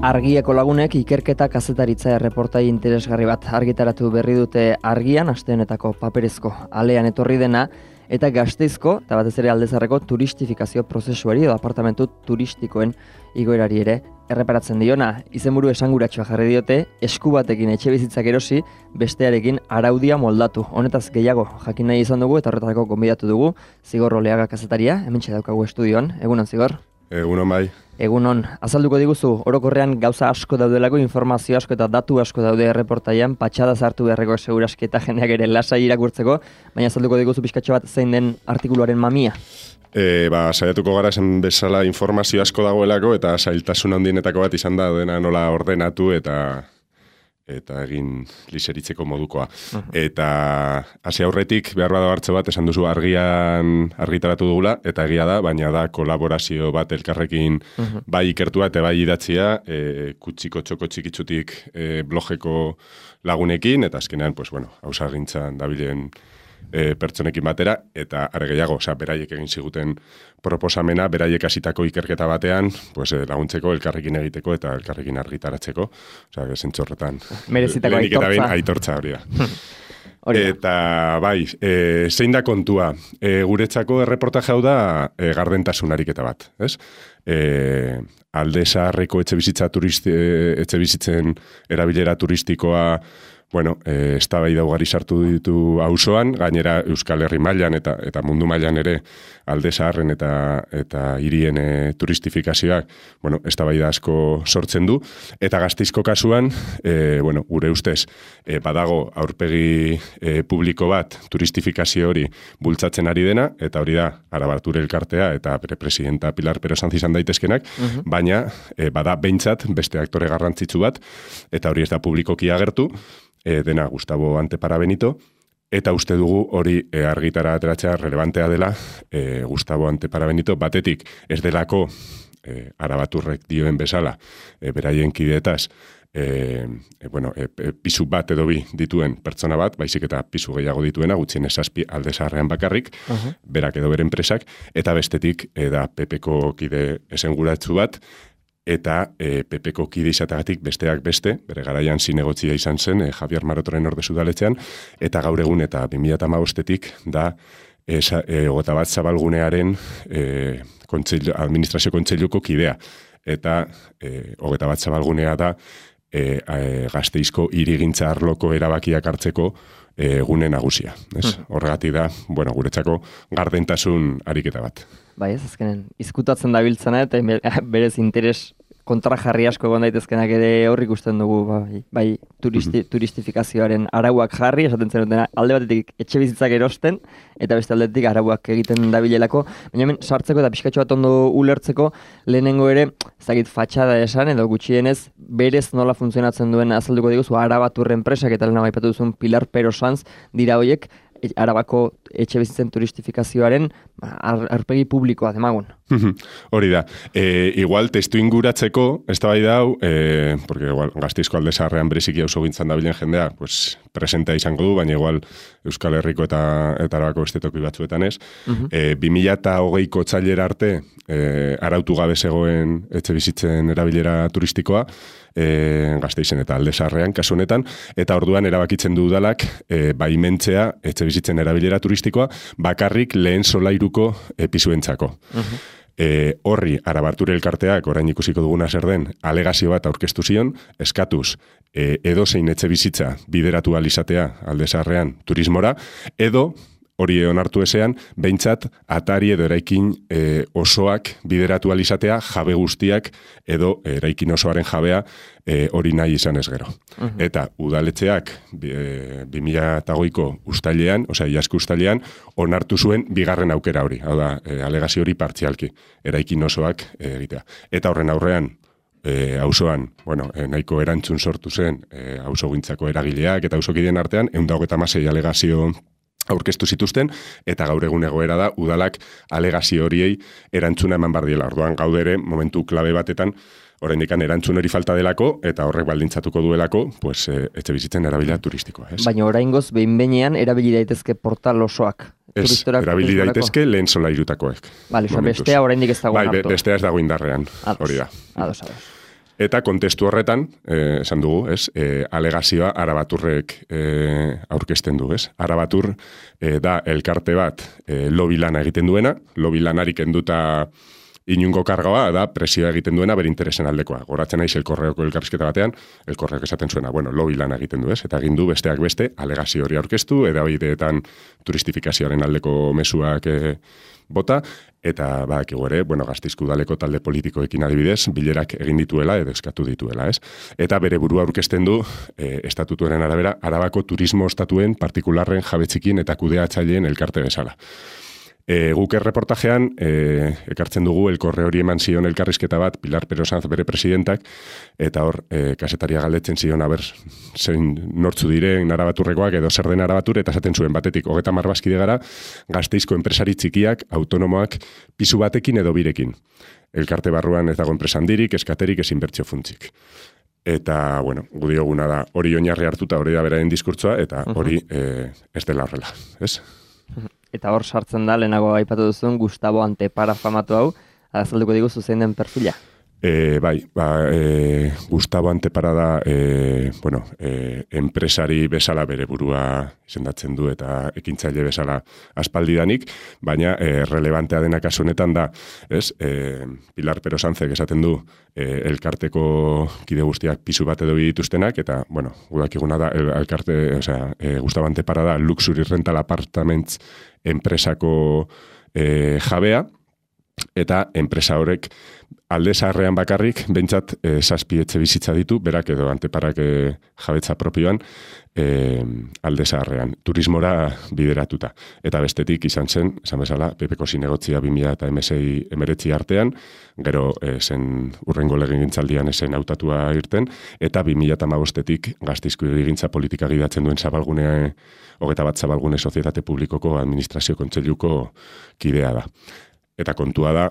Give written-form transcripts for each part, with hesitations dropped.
Argiako lagunek ikerketa kazetaritza erreportai interesgarri bat argitaratu berri dute Argian, aste honetako paperezko alean etorri dena, eta Gasteizko, eta batez ere Aldezarreko turistifikazio prozesuari edo apartamentu turistikoen igoerari ere erreparatzen diona. Izenburu esanguratsua jarri diote, esku batekin etxebizitzak erosi, bestearekin araudia moldatu. Honetaz gehiago jakin nahi izan dugu eta horretarako gonbidatu dugu Zigor Oleaga kazetaria, hementxe daukagu estudioan. Egunon, Zigor? Egunon bai. Egunon, azalduko diguzu, orokorrean gauza asko daudelako, informazio asko eta datu asko daude erreportaian, patxada zartu beharreko seguraski eta jendeak ere lasai irakurtzeko, baina azalduko diguzu pixkatxo bat zein den artikuluaren mamia. Saiatuko gara esan bezala informazio asko dagoelako eta zailtasun handienetako bat izan da dena nola ordenatu eta egin liseritzeko modukoa. Eta hasi aurretik behar bada hartze bat esan duzu Argian argitaratu dugula, eta egia da, baina da kolaborazio bat elkarrekin bai ikertua eta bai idatzia, kutsiko txoko txikitzutik blogeko lagunekin, eta azkenean, hausargintzan dabilen pertsonekin batera, eta are gehiago, beraiek egin ziguten proposamena, beraiek hasitako ikerketa batean, laguntzeko, elkarrekin egiteko eta elkarrekin argitaratzeko. Zentzorretan. Merezitako aitortza hori da. Eta bai, zein da kontua? Guretzako erreportaje hau da gardentasun ariketa bat, ez? Aldezaharreko etxebizitzen erabilera turistikoa eztabaida ugari sartu ditu auzoan, gainera Euskal Herri mailan eta mundu mailan ere Aldezaharren eta hirien turistifikazioak, eztabaida asko sortzen du, eta Gasteizko kasuan, gure ustez, badago aurpegi publiko bat turistifikazio hori bultzatzen ari dena, eta hori da Arabarture elkartea eta bere presidenta Pilar Perozantz izan daitezkenak, baina bada behintzat beste aktore garrantzitsu bat, eta hori ez da publikoki agertu, dena Gustavo Antepara Benito, eta uste dugu hori argitara ateratzea relevantea dela Gustavo Antepara Benito, batetik ez delako Arabaturrek dioen bezala, beraien kideetaz, pisu bat edo bi dituen pertsona bat, baizik eta pisu gehiago dituena, gutxien esazpi Aldezaharrean bakarrik, berak edo bere enpresak, eta bestetik da PPko kide esenguratsu bat, eta PPko kide izatagatik besteak beste, bere garaian zinegotzia izan zen, Javier Marotoren ordezu daletzean, eta gaur egun eta 2015-etik da Ogeta Bat Zabalgunearen administrazio kontseiluko kidea. Eta Ogeta Bat Zabalgunea da Gasteizko hirigintza arloko erabakiak hartzeko gune nagusia. Horregatik da, guretzako gardentasun ariketa bat. Bai, ez azkenen, izkutatzen dabiltzena eta berez interes kontrajarri asko egon daitezkenak ere horrik ikusten dugu, bai turistifikazioaren arauak jarri, esaten zenutena alde batetik etxe bizitzak erosten, eta beste aldetik arauak egiten dabilelako, baina hemen sartzeko eta pixkatxo bat ondo ulertzeko, lehenengo ere, ezagit fatxada esan, edo gutxienez, berez nola funtzionatzen duen azalduko diguzu, Arabaturren enpresak eta lehena baipatu duzun Pilar Perozantz dira hoiek, Arabako etxe bizitzen turistifikazioaren aurpegi publikoa demagun. Hori da. Igual testu inguratzeko, ez da bai dau, porque igual Gasteizko Aldezaharrean bereziki auzogintzan dabilen jendea, presentea izango du, baina igual Euskal Herriko eta Arabako beste toki batzuetan ez. 2020ko otsailera arte arautu gabe zegoen etxe bizitzen erabilera turistikoa, Gasteizen eta Aldezaharrean kasu honetan, eta orduan erabakitzen du udalak baimentzea etxe bizitzen erabilera turistikoa bakarrik lehen solairuko pisuentzako. Horri Arabarture elkarteak orain ikusiko duguna zer den alegazio bat aurkeztu zion, eskatuz edozein etxe bizitza bideratu ahal izatea Aldezaharrean turismora, edo hori onartu ezean, behintzat atari edo eraikin osoak bideratu ahal izatea, jabe guztiak edo eraikin osoaren jabea hori nahi izan ez gero. Eta udaletxeak 2008ko ustailean, iazko ustailean, onartu zuen bigarren aukera hori, hau da, alegazio hori partzialki, eraikin osoak egitea. Eta horren aurrean, auzoan, nahiko erantzun sortu zen auzogintzako eragileak eta auzokideen artean, 126 alegazio aurkeztu zituzten, eta gaur egun egoera da, udalak alegazio horiei erantzuna eman bardiela. Orduan gaudere, momentu klabe batetan, oraindik erantzun hori falta delako, eta horrek baldintzatuko duelako, etxe bizitzen erabilia turistikoa. Baina oraingoz, behin-behinean, erabili daitezke portal osoak. Ez, erabili daitezke lehen solairutakoek. Bestea oraindik ez dago hartu. Bestea ez dago indarrean, hori da. Ados. Eta kontestu horretan, esan dugu, ez, alegazioa Arabaturrek aurkezten du, ez. Arabatur da elkarte bat lobby lana egiten duena, lobby lanari kenduta inungo kargoa da presioa egiten duena bere interesen aldekoa. Goratzen naiz Elkorreoko elkarrizketa batean, Elkorreok esaten zuena, lobby lana egiten du, ez? Eta egin du besteak beste alegazio hori aurkeztu, edabideetan turistifikazioaren aldeko mezuak bota, eta badakigu ere, Gasteizko udaleko talde politikoekin adibidez, bilerak egin dituela edo eskatu dituela, ez? Eta bere burua aurkezten du, estatutuaren arabera, Arabako turismo estatuen partikularren jabetzikin eta kudeatzaileen elkarte bezala. Guk erreportajean, ekartzen dugu Elkorre hori eman zion elkarrizketa bat Pilar Pero Sanz bere presidentak, eta hor, kasetaria galdetzen zion, zein nortzu diren Arabaturrekoak edo zer den Arabatur, eta esaten zuen batetik, 30 bazkide gara, Gasteizko enpresari txikiak, autonomoak, pisu batekin edo birekin. Elkarte barruan ez dago enpresa handirik, eskaterik, ez inbertsio funtsik. Eta, gu dioguna da, hori oinarri hartuta, hori da beraren diskurtsoa, eta hori ez dela horrela, ez? Eta hor sartzen da, lehenago aipatu duzun, Gustavo Antepara famatu hau, azalduko diguzu zein den perfila? Gustavo Antepara da, enpresari bezala bere burua izendatzen du eta ekintzaile bezala aspaldidanik, baina relevantea dena kasu honetan da, ez? Pilar Pero Sanzek esaten du elkarteko kide guztiak pisu bat edo dituztenak, eta, gudakiguna da, Gustavo Antepara da Luxury Rental Apartments enpresako jabea, eta enpresa horrek alde zaharrean bakarrik, behintzat 7 etxe bizitza ditu, berak edo Anteparak jabetza propioan, alde zaharrean, turismora bideratuta. Eta bestetik izan zen, esan bezala, PPko zinegotzia 2019 artean, gero zen urrengo legegintzaldian esen hautatua irten, eta 2015-etik Gasteizko hirigintza politika gidatzen duen zabalgune, 21 zabalgune sozietate publikoko administrazio kontseiluko kidea da. Eta kontua da,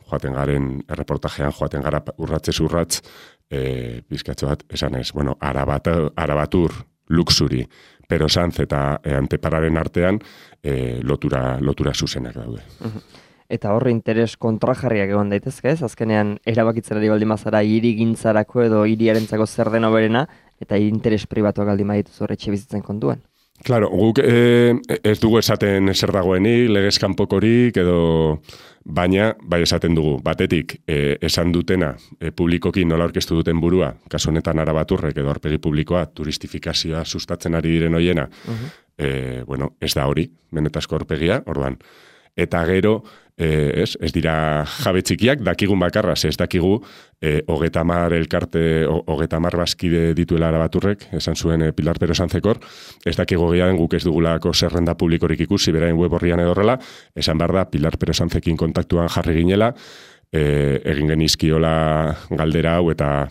joaten garen erreportajean, joaten gara urratzez urratz, bizkatxo bat, esan ez, Arabatur, Luxury, Pero Sanz eta Antepararen artean lotura zuzenak daude. Eta horre interes kontrajarriak egon daitezke ez? Azkenean erabakitzerari baldin bazara hirigintzarako edo hiriarentzako zer den hoberena, eta interes pribatuak baldin badituz horre etxe bizitzen kontuan. Claro, guk ez dugu esaten zer dagoenik, legez kanpokorik edo, baina bai esaten dugu, batetik esan dutena publikoki nola aurkeztu duten burua, kasu honetan Arabaturrek edo aurpegi publikoa turistifikazioa sustatzen ari diren hoiena, ez da hori, benetazko aurpegia, orduan. Eta gero, ez dira jabe txikiak, dakigun bakarra, ez dakigu 30 elkarte, 30 bazkide dituela Arabaturrek, esan zuen Pilar Pero Sanzekor, ez dakigu gehiago guk ez dugulako zerrenda publikorik ikusi, beraien web horrian edo horrela, esan behar da Pilar Pero Sanzekin kontaktuan jarri ginela, egin genizkiola galdera hau eta,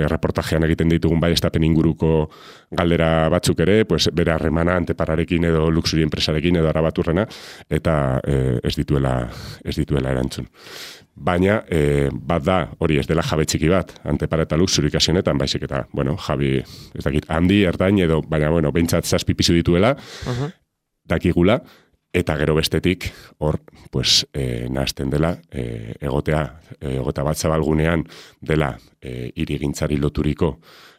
erreportajean egiten ditugun bai estapen inguruko galdera batzuk ere, bere harremana Antepararekin edo Luxury enpresarekin edo Arabaturrena, eta ez dituela erantzun. Baina, bat da, hori ez dela jabe txiki bat, Antepara eta Luxury kasu honetan, baizik eta, jabi, ez dakit, handi, ertain edo, baina, behintzat 7 pisu dituela, dakigula, eta gero bestetik, hor, nahazten dela, egota bat zabalgunean dela hirigintzari loturiko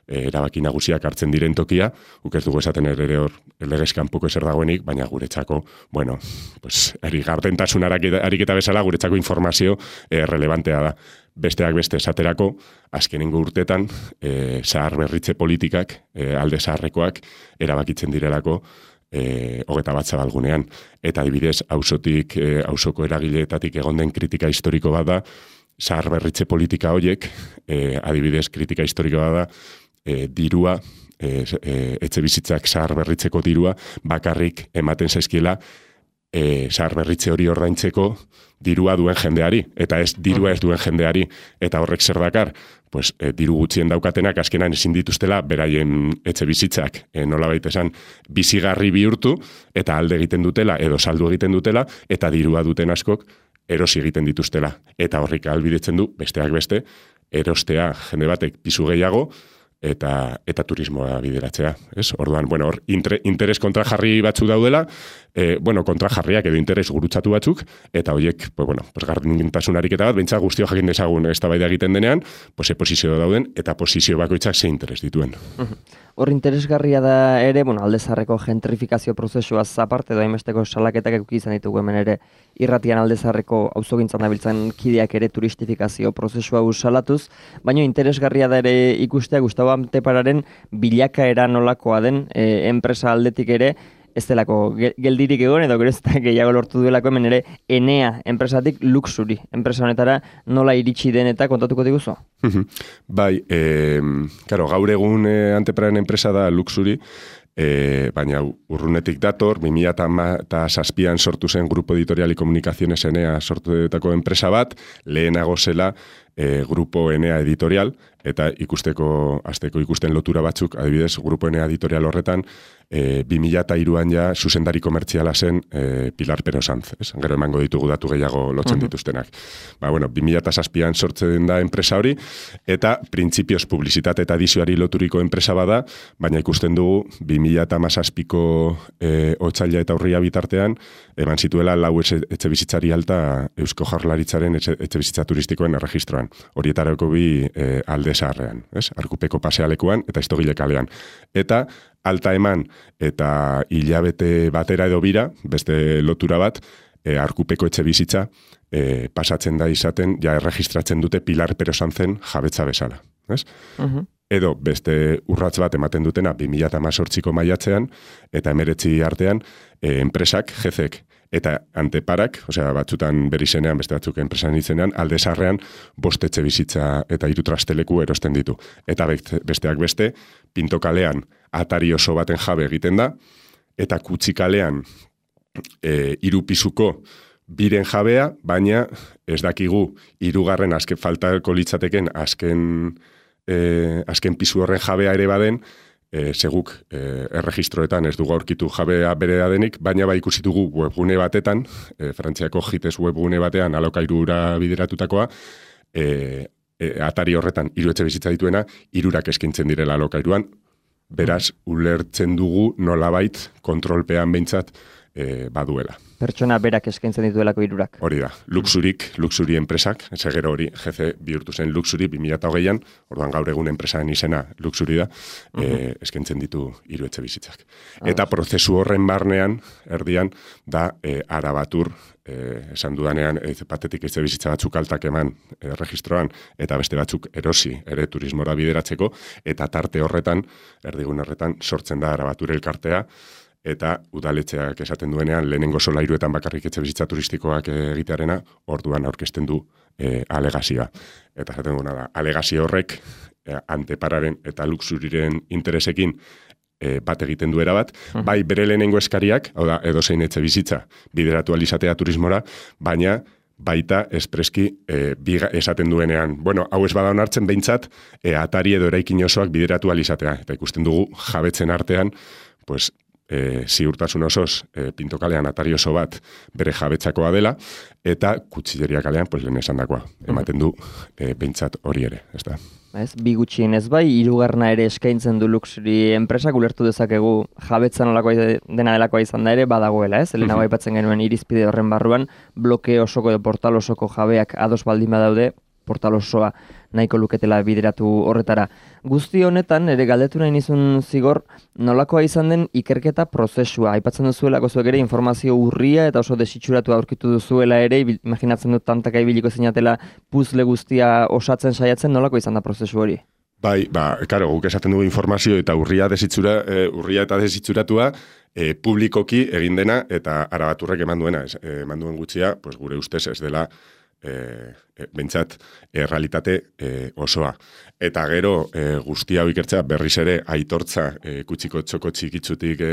erabaki nagusiak hartzen diren tokia, guk ez dugu esaten ere hor legez kanpoko ezer dagoenik, baina guretzako, gardentasun ariketa bezala, guretzako informazio relevantea da. Besteak beste esaterako, azkenengo urtetan, zahar berritze politikak, alde zaharrekoak, erabakitzen direlako, 21 zabalgunean. Eta adibidez, auzoko eragileetatik egon den kritika historiko bat da, zahar berritze politika horiek, adibidez, kritika historiko bat da, dirua, etxe bizitzak zahar berritzeko dirua, bakarrik ematen zaizkiela, zahar berritze hori ordaintzeko dirua duen jendeari, eta ez dirua ez duen jendeari, eta horrek zer dakar, diru gutxien daukatenak azkenan ezin dituztela beraien etxe bizitzak nolabait esan bizigarri bihurtu eta alde egiten dutela edo saldu egiten dutela eta dirua duten askok erosi egiten dituztela. Eta horrik ahalbidetzen du besteak beste erostea jende batek pisu gehiago eta turismoa bideratzea, ez? Orduan, bueno, hor interes kontrajarri batzu daudela, kontrajarriak edo interes gurutzatu batzuk, eta horiek, gardengintasun ariketa bat, behintzat guztio jakin dezagun eztabaida egiten denean, posizio dauden, eta posizio bakoitzak ze interes dituen. Hor interesgarria da ere, alde zaharreko gentrifikazio prozesuaz aparte, edo hainbesteko salaketak eduki izan ditugu hemen ere, irratian alde zaharreko auzogintzan dabiltzen kideak ere turistifikazio prozesua salatuz, baina interesgarria da ere ikustea Gustavo Antepararen bilakaera nolakoa den enpresa aldetik ere, ez delako geldirik egon edo gero ez da gehiago lortu duelako hemen ere Enea enpresatik Luxury enpresa honetara nola iritsi den eta kontatuko diguzu? Bai, gaur egun Antepararen enpresa da Luxury, baina urrunetik dator, 2007an sortu zen Grupo Editorial y Comunicaciones Enea sortutako enpresa bat, lehenago zela Grupo Enea Editorial, eta azteko ikusten lotura batzuk, adibidez, Grupo Enea Editorial horretan, 2003an ja zuzendari komertziala zen Pilar Pero Sanz, gero emango ditugu datu gehiago lotzen dituztenak. 2007an sortzen da enpresa hori, eta printzipioz publizitate eta edizioari loturiko enpresa bada, baina ikusten dugu 2017ko otsaila eta urria bitartean, eman zituela 4 etxebizitzari alta Eusko Jaurlaritzaren etxebizitza turistikoen erregistroan. Horietarako 2 alde zaharrean, Arkupeko pasealekuan eta Estogile kalean. Eta alta eman eta hilabete batera edo bira, beste lotura bat, Arkupeko etxebizitza pasatzen da izaten, ja erregistratzen dute Pilar Pero Sanzen jabetza bezala. Edo beste urratz bat ematen dutena 2018ko maiatzean, eta 19 artean, enpresak, jezek, eta Anteparak, batzutan bere izenean, beste batzuk enpresan izenean, alde zaharrean 5 etxebizitza eta 3 trasteleku erosten ditu. Eta besteak beste, Pinto kalean atari oso baten jabe egiten da, eta Kutxi kalean 3 pisuko biren jabea, baina ez dakigu 3. faltako litzateken azken pisu horren jabea ere baden, seguk erregistroetan ez dugu aurkitu jabea berea denik, baina ikusi dugu webgune batetan, Frantziako JITES webgune batean alokairura bideratutakoa, atari horretan 3 etxebizitza dituena, 3 eskaintzen direla alokairuan, beraz, ulertzen dugu nolabait kontrolpean behintzat baduela. Pertsona berak eskaintzen dituelako 3. Hori da, Luxury enpresak, segero hori, GC bihurtu zen Luxury 2008an, orduan gaur egun enpresaren izena Luxury da, eskaintzen ditu 3 etxebizitzak. Eta prozesu horren barnean, erdian, da Arabatur, esan dudanean, batetik etxebizitza batzuk altak eman registroan, eta beste batzuk erosi, ere turismora bideratzeko, eta tarte horretan, erdigun horretan, sortzen da Arabatur elkartea, eta udaletxeak esaten duenean lehenengo solairuetan bakarrik etxebizitza turistikoak egitearena, orduan aurkezten du alegazioa. Eta esaten duena da, alegazio horrek Antepararen eta Luxuryren interesekin bat egiten duera bat, bai bere lehenengo eskariak, hau da, edozein etxebizitza bideratu alizatea turismora, baina baita espreski esaten duenean, hau ez bada onartzen behintzat, atari edo eraikin osoak bideratu alizatea. Eta ikusten dugu jabetzen artean, ziurtasun osoz Pinto kalean atari oso bat bere jabetzakoa dela, eta Kutxilleria kalean lehen esan dakoa. Ematen du behintzat hori ere, ez da. Bi gutxien ez bai, 3. ere eskaintzen du Luxury enpresak, ulertu dezakegu jabetza nolakoa dena delakoa izan da ere badagoela, ez? Helenago aipatzen genuen irizpide horren barruan, bloke osoko edo portal osoko jabeak ados baldin badaude, portal osoa nahiko luketela bideratu horretara. Guzti honetan, ere galdetu nahi nizun zigor, nolakoa izan den ikerketa prozesua. Aipatzen duzuelako zuek ere informazio urria eta oso desitxuratu aurkitu duzuela ere, imaginatzen dut tantaka ibiliko zinatela puzle guztia osatzen saiatzen, nolako izan da prozesu hori? Bai, karo, guk esaten dugu informazio eta urria eta desitzuratua publikoki egin dena eta Arabaturrek eman duena, eman duen gutxia, gure ustez ez dela bentsat realitate osoa. Eta gero guzti hau ikertzea berriz ere aitortza Kutxiko txoko txikitzutik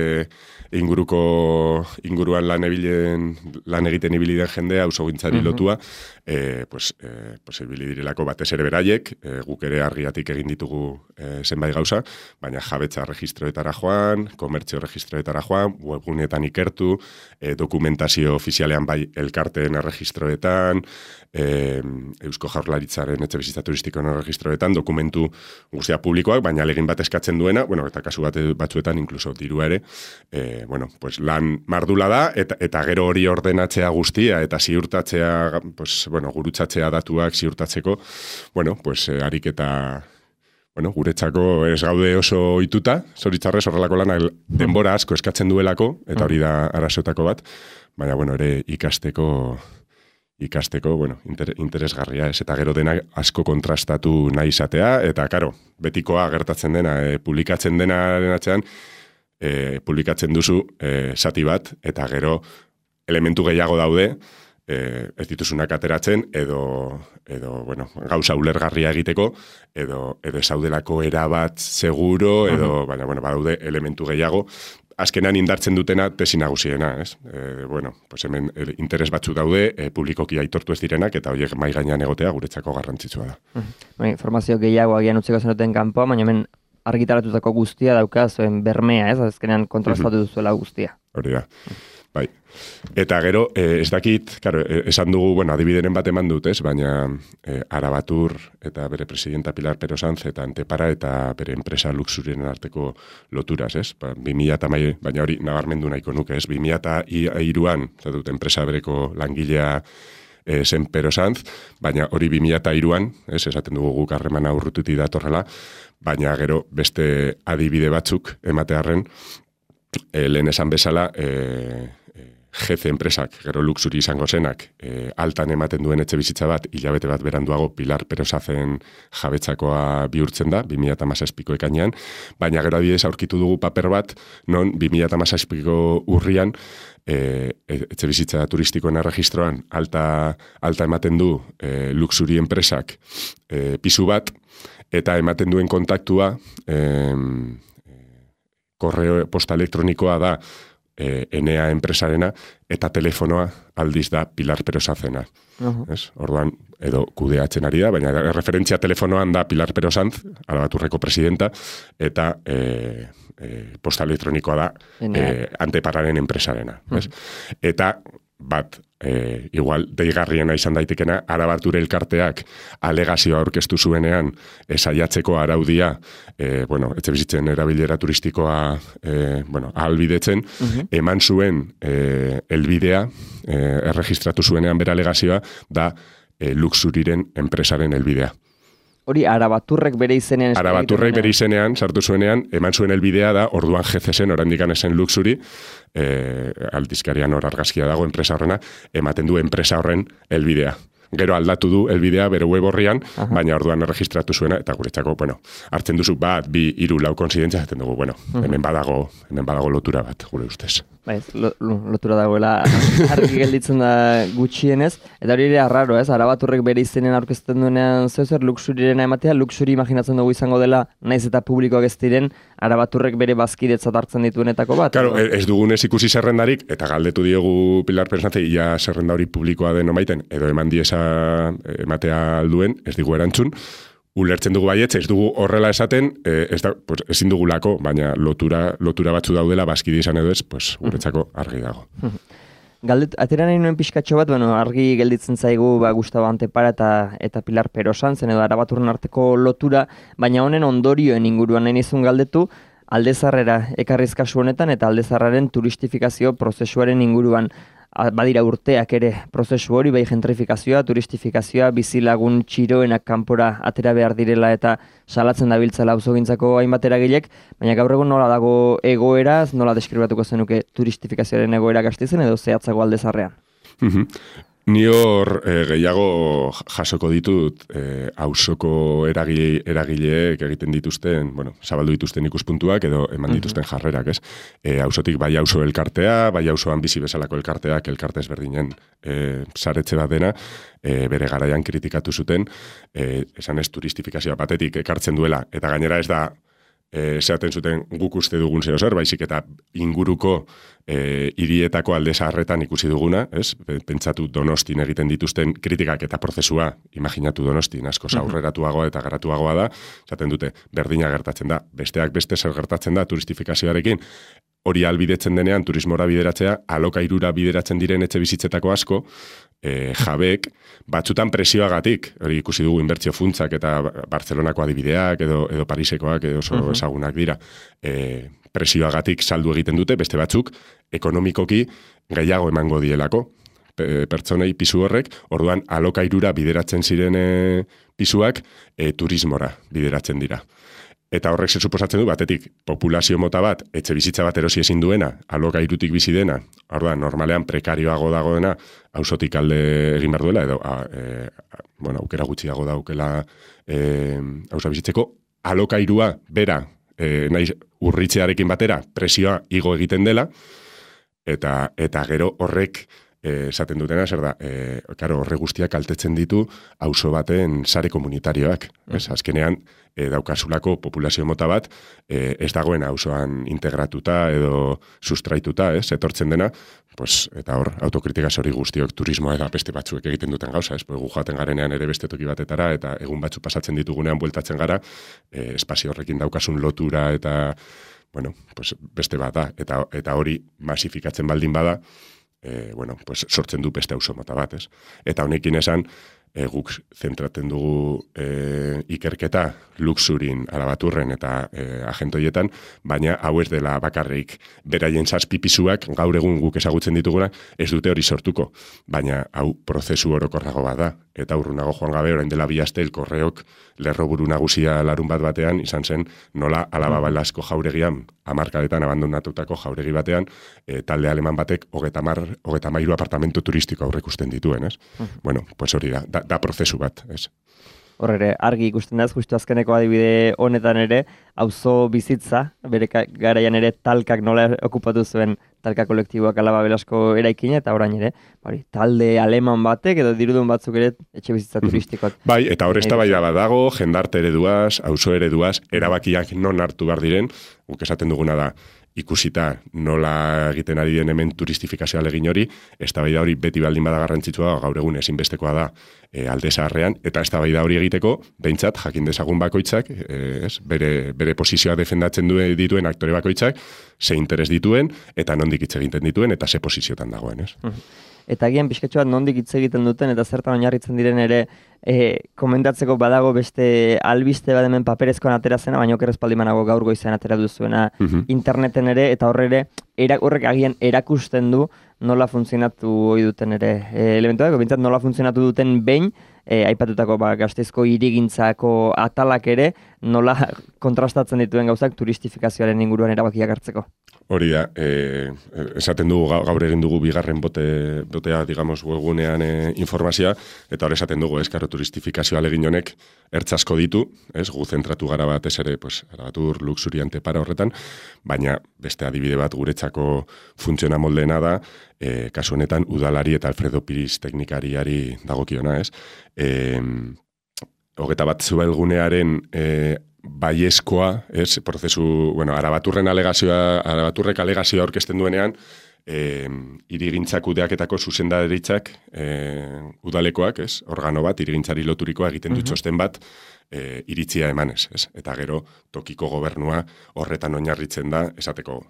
inguruan lan egiten ibili den jendea, auzogintzari lotua, ibili direlako batez ere beraiek, guk ere argiatik egin ditugu zenbait gauza, baina jabetza registroetara joan, komertzio registroetara joan, webgunetan ikertu, dokumentazio ofizialean bai elkarteen erregistroetan, Eusko Jaurlaritzaren etxebizitza turistikoen erregistroetan dokumentu guztia publikoak, baina alegin bat eskatzen duena, bueno, eta kasu batzuetan inkluso dirua ere, bueno, pues lan mardula da, eta gero hori ordenatzea guztia, eta ziurtatzea, pues, bueno, gurutzatzea datuak ziurtatzeko, bueno, pues, ariketa, bueno, guretzako ez gaude oso ohituta, zoritzarrez horrelako lana denbora asko eskatzen duelako, eta hori da arazoetako bat, baina, bueno, ere ikasteko, bueno, interesgarria ez, eta gero dena asko kontrastatu nahi izatea, eta, karo, betikoa gertatzen dena, publikatzen denaren atzean, publikatzen duzu zati bat, eta gero elementu gehiago daude, ez dituzunak ateratzen, edo bueno, gauza ulergarria egiteko, edo esaudelako erabat seguro, edo, baina, bueno, badaude elementu gehiago, azkenan indartzen dutena tesi nagusiena, ez? Bueno, pues hemen interes batzu daude, publikoki aitortu ez direnak, eta horiek mai gainean egotea guretzako garrantzitsua da. Informazio gehiago agian utziko zenuten kanpoa, baina hemen argitaratutako guztia dauka zuen bermea, ez? Azkenean kontrastatu duzuela guztia. Hori da. Bai. Eta gero, ez dakit, claro, esan dugu, bueno, adibideren bat eman dut, ez? Baina Arabatur eta bere presidenta Pilar Pero Sanz eta Antepara eta bere enpresa Luxurien arteko loturaz, ez? 2000 baina hori nabarmendu nahiko nuke, ez? 2003an, dut enpresa bereko langilea zen Pero Sanz, baina hori 2003an, ez? Esaten dugu guk harremana urrututi datorrela, baina gero beste adibide batzuk ematearren, lehen esan bezala, jefe enpresak, gero luxuri izango zenak, altan ematen duen etxe bizitza bat, hilabete bat beranduago Pilar Pero Sanzen jabetzakoa bihurtzen da, 2017ko ekainean, baina gero adibidez aurkitu dugu paper bat, non 2017ko urrian, etxe bizitza turistikoen erregistroan alta ematen du luxuri enpresak pisu bat, eta ematen duen kontaktua, korreo posta elektronikoa da Enea enpresarena, eta telefonoa aldiz da Pilar Pero Sanzena. Orduan, edo kudeatzen ari da, baina referentzia telefonoan da Pilar Pero Sanz, Arabaturreko presidenta, eta posta elektronikoa da Antepararen enpresarena. Eta bat, igual deigarriena izan daitekena, Arabatur elkarteak alegazioa aurkeztu zuenean saiatzeko araudia, bueno, etxebizitzen erabilera turistikoa ahalbidetzen, eman zuen elbidea, erregistratu zuenean bere alegazioa, da Luxuriren enpresaren elbidea. Hori Arabaturrek bere izenean... Arabaturrek bere izenean, sartu zuenean, eman zuen elbidea da, orduan GCSen, orandikan esen Luxuri, aldizkarian hor argazkia dago enpresa horrena, ematen du enpresa horren elbidea. Gero aldatu du elbidea bere web horrian, baina orduan erregistratu zuena, eta guretzako, bueno, hartzen duzu bat, 2, 3, 4 konsidentzia, zaten dugu, bueno, hemen badago lotura bat, gure ustez. Baiz, lotura dagoela argi gelditzen da gutxienez, eta hori ere arraro, ez? Arabaturrek bere izenen aurkezten duenean zer Luxurirena ematea, Luxuri imaginatzen dugu izango dela, naiz eta publikoak ez diren, Arabaturrek bere bazkidetzat hartzen dituenetako bat. Claro, ez dugunez ikusi zerrendarik, eta galdetu diogu Pilar Pero Sanz, ia zerrenda hori publikoa den omaiten, edo eman diesa ematea alduen, ez digu erantzun, ulertzen dugu baietz, ez dugu horrela esaten, ezin dugulako, baina lotura batzu daudela, bazkide izan edo ez, guretzako argi dago. Atera nahi nuen pixkatxo bat, argi gelditzen zaigu Gustavo Antepara eta Pilar Pero Sanzen edo Arabaturren arteko lotura, baina honen ondorioen inguruan nahi nizun galdetu, Aldezarrera ekarriz kasu honetan eta Aldezarraren turistifikazio prozesuaren inguruan. Badira urteak ere prozesu hori, bai gentrifikazioa, turistifikazioa, bizilagun txiroenak kanpora atera behar direla eta salatzen dabiltzela auzogintzako hainbat eragilek, baina gaur egun nola dago egoera, nola deskribatuko zenuke turistifikazioaren egoera Gasteizen edo zehatzago Aldezarrean? Ni hor gehiago jasoko ditut auzoko eragileek egiten dituzten, zabaldu dituzten ikuspuntuak edo eman dituzten jarrerak, ez? Auzotik bai auzo elkartea, bai auzoan bizi bezalako elkarteak, elkarte ezberdinen saretze bat dena, bere garaian kritikatu zuten, esan ez turistifikazioa batetik ekartzen duela, eta gainera ez da zehaten zuten guk uste dugun zeo zer, baizik eta inguruko hirietako alde zaharretan ikusi duguna, ez? Pentsatu Donostin egiten dituzten kritikak eta prozesua, imaginatu Donostin, asko aurreratuagoa eta garatuagoa da, zaten dute, berdina gertatzen da, besteak beste zer gertatzen da turistifikazioarekin, hori albidetzen denean turismora bideratzea, alokairura bideratzen diren etxe bizitzetako asko, jabeek, batzutan presioagatik, hori ikusi dugu inbertsio funtzak eta Bartzelonako adibideak edo Parisekoak edo oso ezagunak dira, presioagatik saldu egiten dute, beste batzuk, ekonomikoki gehiago emango dielako, pertsonei pisu horrek, orduan alokairura bideratzen ziren pisuak turismora bideratzen dira. Eta horrek se suposatzen du, batetik, populazio mota bat, etxe bizitza bat erosi ezin duena, alokairutik bizi dena, orduan, normalean prekarioago dagoena, auzotik alde egin behar duela, edo, aukera gutxiago daukela auza bizitzeko, alokairua bera, naiz urritzearekin batera, presioa igo egiten dela, eta gero horrek, esaten dutena, zer da, horre guztiak kaltetzen ditu auzo baten sare komunitarioak. Azkenean, daukasulako populazio mota bat, ez dagoen auzoan integratuta edo sustraituta, etortzen dena, eta hor, autokritika hori guztiok turismoa eta beste batzuek egiten duten gauza, gu joaten garenean ere beste toki batetara, eta egun batzu pasatzen ditugunean bueltatzen gara, espazio horrekin daukasun lotura eta, beste bat da, eta hori masifikatzen baldin bada, sortzen du beste auzo mota bat, ez? Eta honekin esan, guk zentraten dugu ikerketa luxurin, Arabaturren eta agentoietan, baina hau ez dela bakarrik beraien zazpipisuak, gaur egun guk ezagutzen dituguna, ez dute hori sortuko, baina hau prozesu orokorrago bat da. Eta urrunago joan gabe, orain dela 2 aste, Korreok lerroburu nagusia larun bat batean, izan zen nola Alaba Balasko jauregian, 10 abandonatutako jauregi batean, talde aleman batek 33 apartamentu turistiko aurreikusten dituen, ez? Hori da prozesu bat, ez? Hor ere, argi ikusten da, justu azkeneko adibide honetan ere, auzo bizitza, bere garaian ere talkak nola okupatu zuen talka kolektiboak Alaba Belasko eraikina, eta orain ere, talde aleman batek edo dirudun batzuk ere etxe bizitza turistikot. Bai, eta hor eztabaida bat dago, jendarte ereduaz, auzo ereduaz, erabakiak non hartu behar diren, guk esaten duguna da, ikusita nola egiten ari den hemen turistifikazioa legin hori, eztabaida hori beti baldin bada garrantzitsua, gaur egun ezinbestekoa da alde zaharrean, eta eztabaida hori egiteko, behintzat, jakin dezagun bakoitzak, bere posizioa defendatzen dituen aktore bakoitzak, ze interes dituen, eta nondik hitz egiten dituen, eta ze posiziotan dagoen, ez? Eta agian pixkatxo bat nondik hitz egiten duten, eta zertan oinarritzen diren ere, komentatzeko badago beste albiste bat hemen paperezkoan atera zena, baina okerrez paldimanago gaur goizean atera duzuena interneten ere, eta horrek agian erakusten du nola funtzionatu ohi duten ere elementuak, bintzat nola funtzionatu duten behin, aipatutako Gasteizko hirigintzako atalak ere, nola kontrastatzen dituen gauzak turistifikazioaren inguruan erabakiak hartzeko. Hori da, esaten dugu, gaur egin dugu bigarren botea, digamos, webgunean informazioa, eta hor esaten dugu, karo turistifikazioa legin honek ertzasko ditu, gu zentratu gara batez ere, Arabatur, luxuriante para horretan, baina beste adibide bat guretzako funtziona moldeena da, kasu honetan udalari eta Alfredo Piris teknikariari dagokiona, ez? 21 zuelgunearen baiezkoa, ez, prozesu, Arabaturren alegazioa, Arabaturrek alegazioa aurkezten duenean, hirigintzak kudeaketako zuzendaritzak udalekoak, ez, organo bat, hirigintzari loturikoa egiten du txosten bat, iritzia emanez, ez, eta gero tokiko gobernua horretan oinarritzen da, esateko,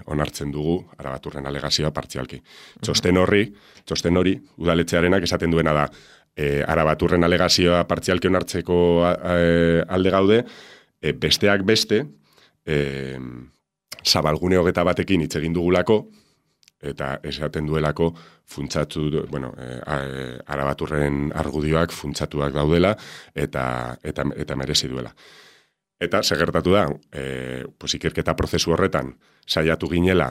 onartzen dugu Arabaturren alegazioa partzialki. Txosten hori, udaletxearenak esaten duena da, Arabaturren alegazioa partzialki onartzeko alde gaude, besteak beste, Zabalgune 21ekin hitz egin dugulako, eta esaten duelako funtsatu, Arabaturren argudioak funtsatuak daudela, eta merezi duela. Eta segertatu da, ikerketa prozesu horretan, saiatu ginela,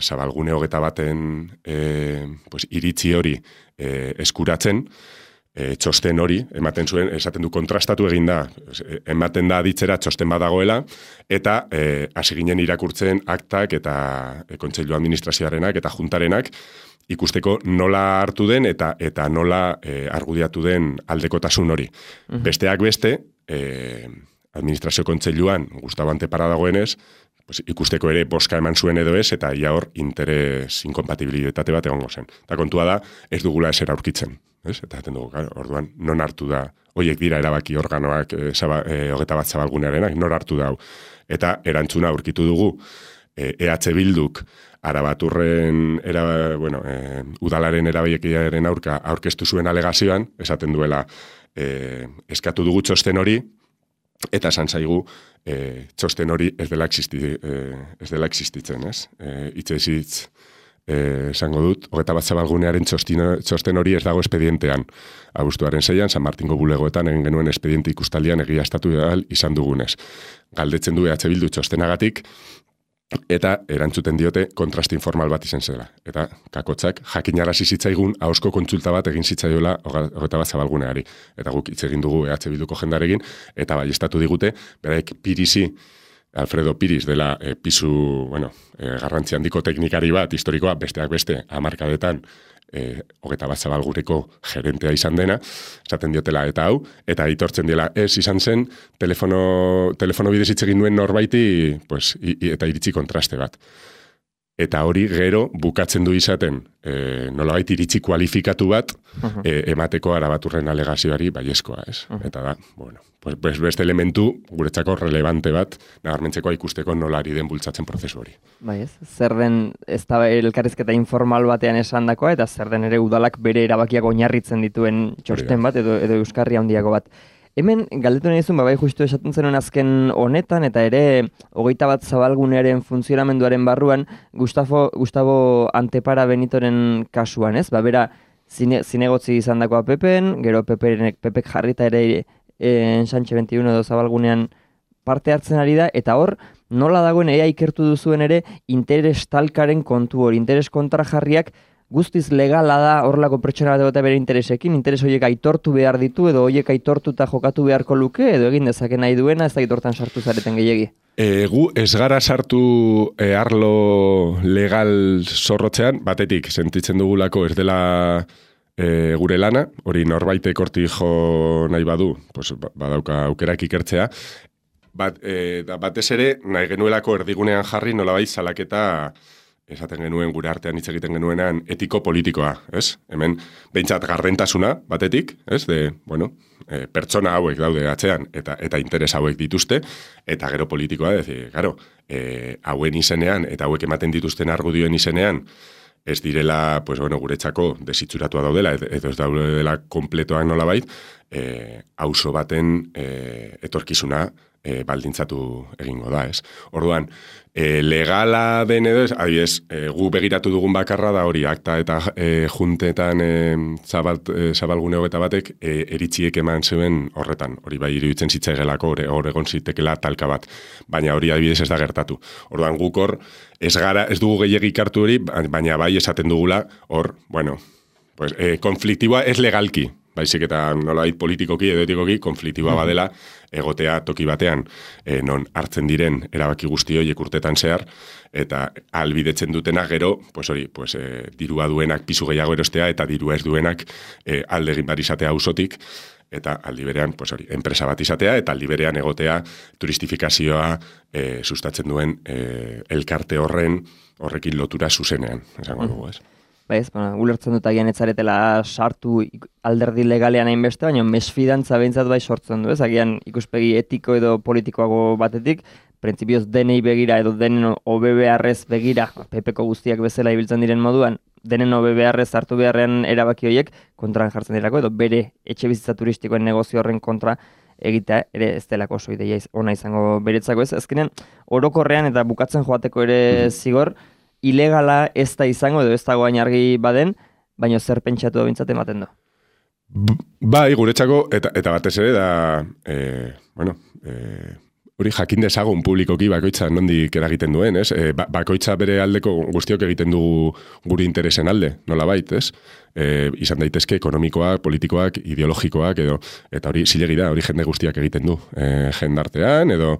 Zabalgune 21en iritzi hori eskuratzen, txosten hori, ematen zuen, esaten du kontrastatu egin da, ematen da aditzera txosten badagoela, eta hasi ginen irakurtzen aktak eta kontseilu administrazioarenak eta juntarenak, ikusteko nola hartu den eta nola argudiatu den aldekotasun hori. Besteak beste, administrazio kontseiluan Gustavo Antepara dagoenez, ikusteko ere boska eman zuen edo ez, eta ia hor interes inkompatibilitate bat egongo zen. Eta kontua da, ez dugula esera aurkitzen. Eta dugu, orduan, non hartu da, hoiek dira erabaki organoak 21 Zabalgunearenak, non hartu da. Eta erantzuna aurkitu dugu, EH Bilduk Arabaturren udalaren erabaikiaren aurka aurkeztu zuen alegazioan, esaten duela eskatu dugu txosten hori, eta esan zaigu txosten hori ez dela existitzen, ez? Itxezitz esango dut, 21 Zabalgunearen txosten hori ez dago espedientean. Abuztuaren 6an, San Martingo bulegoetan egin genuen espediente ikustalian egiaztatu izan dugunez. Galdetzen du EH Bildu txostenagatik, eta erantzuten diote kontraste informal bat izan zela. Eta kakotzak jakinarazi zitzaigun ahozko kontsulta bat egin zitzaiola 21 Zabalguneari. Eta guk hitz egin dugu EH Bilduko jendarekin, eta baiestatu digute, beraik Alfredo Piris dela pisu, garrantzi handiko teknikari bat, historikoa, besteak beste, hamarkadetan, 21 Zabalguneko gerentea izan dena, esaten diotela eta hau, eta aitortzen dela ez izan zen, telefono bidez hitz egin duen norbaiti, eta iritzi kontraste bat. Eta hori gero bukatzen du izaten nolabait iritzi kualifikatu bat emateko Arabaturren alegazioari baiezkoa, ez? Eta da, beste elementu guretzako relevante bat nabarmentzekoa ikusteko nolari den bultzatzen prozesu hori. Bai ez, zer den ez da elkarrizketa informal batean esandakoa eta zer den ere udalak bere erabakiak oinarritzen dituen txosten bat edo euskarri handiago bat. Hemen, galdetu nahi zuen, bai justu esaten zenuen azken honetan, eta ere 21 Zabalgunearen funtzionamenduaren barruan, Gustavo Antepara Benitoren kasuan, ez? Bera, zinegotzi izan dakoa Pepen, gero Pepek jarrita ere Ensanche 21 edo Zabalgunean parte hartzen ari da, eta hor, nola dagoen ea ikertu duzuen ere interes talkaren kontu hori, interes kontrajarriak, guztiz legala da horrelako pertsona bat bere interesekin, interes horiek aitortu behar ditu edo horiek aitortuta jokatu beharko luke edo egin dezake nahi duena ez da aitortan sartu zareten gehiegi? Gu ez gara sartu arlo legal zorrotzean, batetik sentitzen dugulako ez dela gure lana, hori norbaitek hortik jo nahi badu, badauka aukerak ikertzea, batez ere nahi genuelako erdigunean jarri nolabait salaketa esaten genuen gure artean hitz egiten genuenan etiko-politikoa, ez? Hemen behintzat gardentasuna batetik, ez? Pertsona hauek daude atzean eta interes hauek dituzte, eta gero politikoa, hauen izenean eta hauek ematen dituzten argudioen izenean, ez direla, guretzako desitxuratua daudela, edo ez daudela kompletoak nolabait, auzo baten etorkizuna baldintzatu egingo da, ez? Orduan, legala den edo ez, adibidez, gu begiratu dugun bakarra da hori, akta eta juntetan Zabalgune 21 eritziek eman zuen horretan, hori bai iruditzen zitzaigelako, hor egon zitekela talka bat, baina hori adibidez ez da gertatu. Orduan, guk hor, ez dugu gehiagik hartu hori, baina bai esaten dugula, hor, konfliktiboa ez legalki, baizik eta nolabait politikoki edo etikoki konfliktiboa badela egotea toki batean non hartzen diren erabaki guzti horiek urtetan zehar eta albidetzen dutena gero dirua duenak pisu gehiago erostea eta dirua ez duenak alde egin bar izatea auzotik eta aldi berean enpresa bat izatea eta aldi berean egotea turistifikazioa sustatzen duen elkarte horrekin lotura zuzenean, esango dugu, ez? Ulertzen dut agian etzaretela sartu alderdi legalean hainbeste, baina mesfidantza behintzat bai sortzen du, ez? Agian ikuspegi etiko edo politikoago batetik, printzipioz denei begira edo denen OBBRrez begira, PPko guztiak bezala ibiltzen diren moduan, denen OBBRrez hartu beharrean erabaki horiek kontran jartzen dirako, edo bere etxe bizitza turistikoen negozio horren kontra egitea ere ez delako oso ideia ona izango beretzako, ez? Azkenean, orokorrean eta bukatzen joateko ere zigor, ilegala ez da izango edo ez dago hain argi baden, baina zer pentsatu bintzat ematen du. Bai, guretzako, eta batez ere da, hori jakin dezagun publikoki bakoitza nondik eragiten duen, ez? Bakoitza bere aldeko guztiok egiten dugu gure interesen alde, nolabait, ez? Izan daitezke ekonomikoak, politikoak, ideologikoak, eta hori zilegi da, hori jende guztiak egiten du jendartean, edo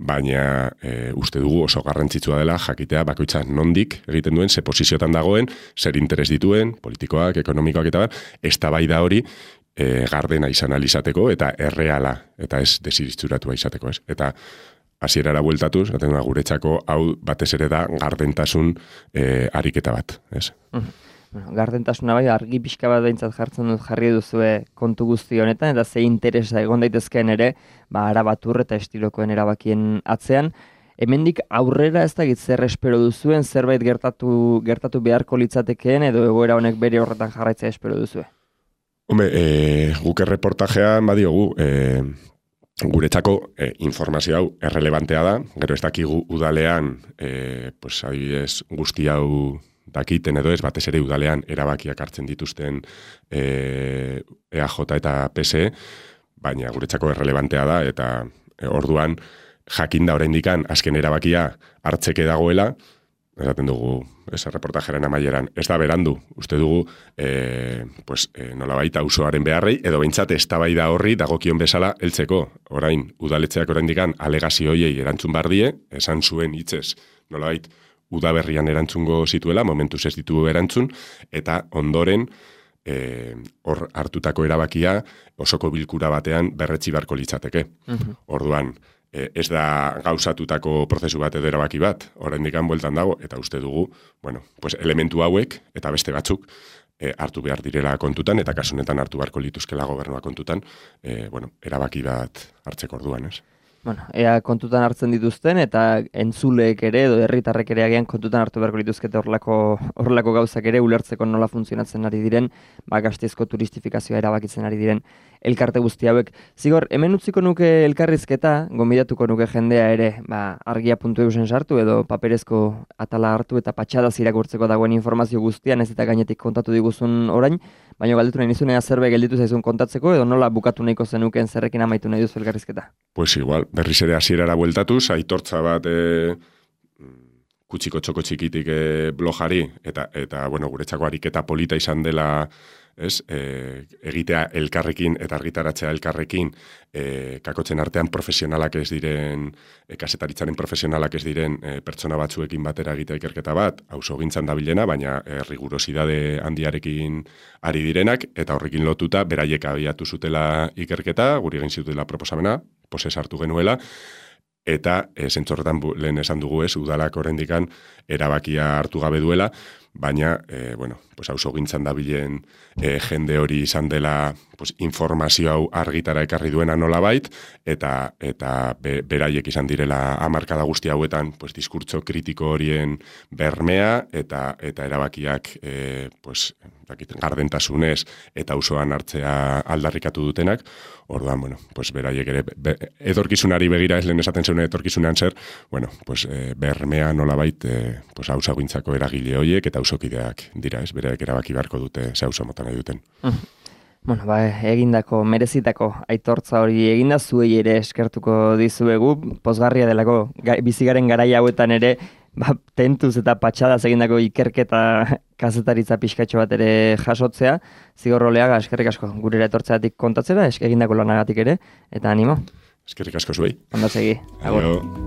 baina uste dugu oso garrantzitsua dela jakitea bakoitza nondik egiten duen, ze posiziotan dagoen, zer interes dituen, politikoak, ekonomikoak eta eztabaida hori gardena izan alizateko eta erreala, eta ez desiritxuratua izateko, ez? Eta hasierara bueltatuz, guretzako hau batez ere da gardentasun ariketa bat, ez? Gardentasuna bai, argi pixka bat behintzat jarri duzue kontu guzti honetan, eta ze interesa egon daitezkeen ere, Arabatur eta estilokoen erabakien atzean. hemendik aurrera ez dakit zer espero duzuen, zerbait gertatu beharko litzatekeen edo egoera honek bere horretan jarraitzea espero duzue? Hombre, guk erreportajean badiogu, guretzako informazio hau errelevantea da, gero ez dakigu udalean, pues, adibidez, guzti hau dakiten edo ez, batez ere udalean erabakiak hartzen dituzten EAJ eta PSE, baina guretzako errelevantea da, eta orduan jakinda oraindikan azken erabakia hartzeke dagoela, esaten dugu, reportajaren amaieran, ez da berandu, uste dugu, nolabait auzoaren beharrei, edo behintzat eztabaida horri dagokion bezala heltzeko. Orain, udaletxeak oraindikan alegazio hoiei erantzun bardie, esan zuen hitzez, nolabait, udaberrian erantzungo zituela, momentuz ez ditu erantzun, eta ondoren, hor hartutako erabakia osoko bilkura batean berretsi beharko litzateke. Orduan, ez da gauzatutako prozesu bat edo erabaki bat, oraindikan bueltan dago, eta uste dugu, pues elementu hauek eta beste batzuk hartu behar direla kontutan, eta kasunetan hartu beharko lituzkela gobernua kontutan, erabaki bat hartzeko orduan, ez? Ea kontutan hartzen dituzten, eta entzuleek ere, edo herritarrek ere agian kontutan hartu beharko lituzkete horrelako gauzak ere, ulertzeko nola funtzionatzen ari diren, Gasteizko turistifikazioa erabakitzen ari diren elkarte guzti hauek. Zigor, hemen utziko nuke elkarrizketa, gonbidatuko nuke jendea ere, argia.eusen sartu, edo paperezko atala hartu eta patxadaz irakurtzeko dagoen informazio guztian, ez eta gainetik kontatu diguzun orain, baina galdetu nahi nizunea zerbait gelditu zaizun kontatzeko, edo nola bukatu nahiko zenuken zerrekin amaitu nahi duzu elkarrizketa? Pues igual, berriz ere hasierara bueltatuz, aitortza bat kutsiko txoko txikitik blogari, eta guretzako ariketa polita izan dela, ez, egitea elkarrekin eta argitaratzea elkarrekin, kakotzen artean profesionalak ez diren, kazetaritzaren profesionalak ez diren pertsona batzuekin batera egitea ikerketa bat, auzogintzan dabilena, baina rigurosidade handiarekin ari direnak, eta horrekin lotuta, beraiek abiatu zutela ikerketa, guri egin zutela proposamena, poses hartu genuela, eta zentzorretan lehen esan dugu ez, udalak oraindikan erabakia hartu gabe duela, baina, auzogintzan dabilen jende hori izan dela informazio hau argitara ekarri duena nolabait, eta beraiek izan direla hamarkada guzti hauetan diskurtso kritiko horien bermea, eta erabakiak gardentasunez eta auzoan hartzea aldarrikatu dutenak. Orduan, beraiek ere, etorkizunari begira ez lehen esaten zeuen etorkizunean zer, bermea nolabait auzogintzako eragile horiek eta auzokideak dira, ez, beraiek erabaki beharko dute ze auzo mota nahi duten. Egindako, merezitako aitortza hori eginda zuei ere eskertuko dizuegu, pozgarria delako bizigaren garai hauetan ere, tentuz eta patxadaz egindako ikerketa kazetaritza pixkatxo bat ere jasotzea. Zigor Oleaga, eskerrik asko gurera etortzeatik kontatzera, egindako lanagatik ere, eta animo. Eskerrik asko zuei. Ondo segi. Agur.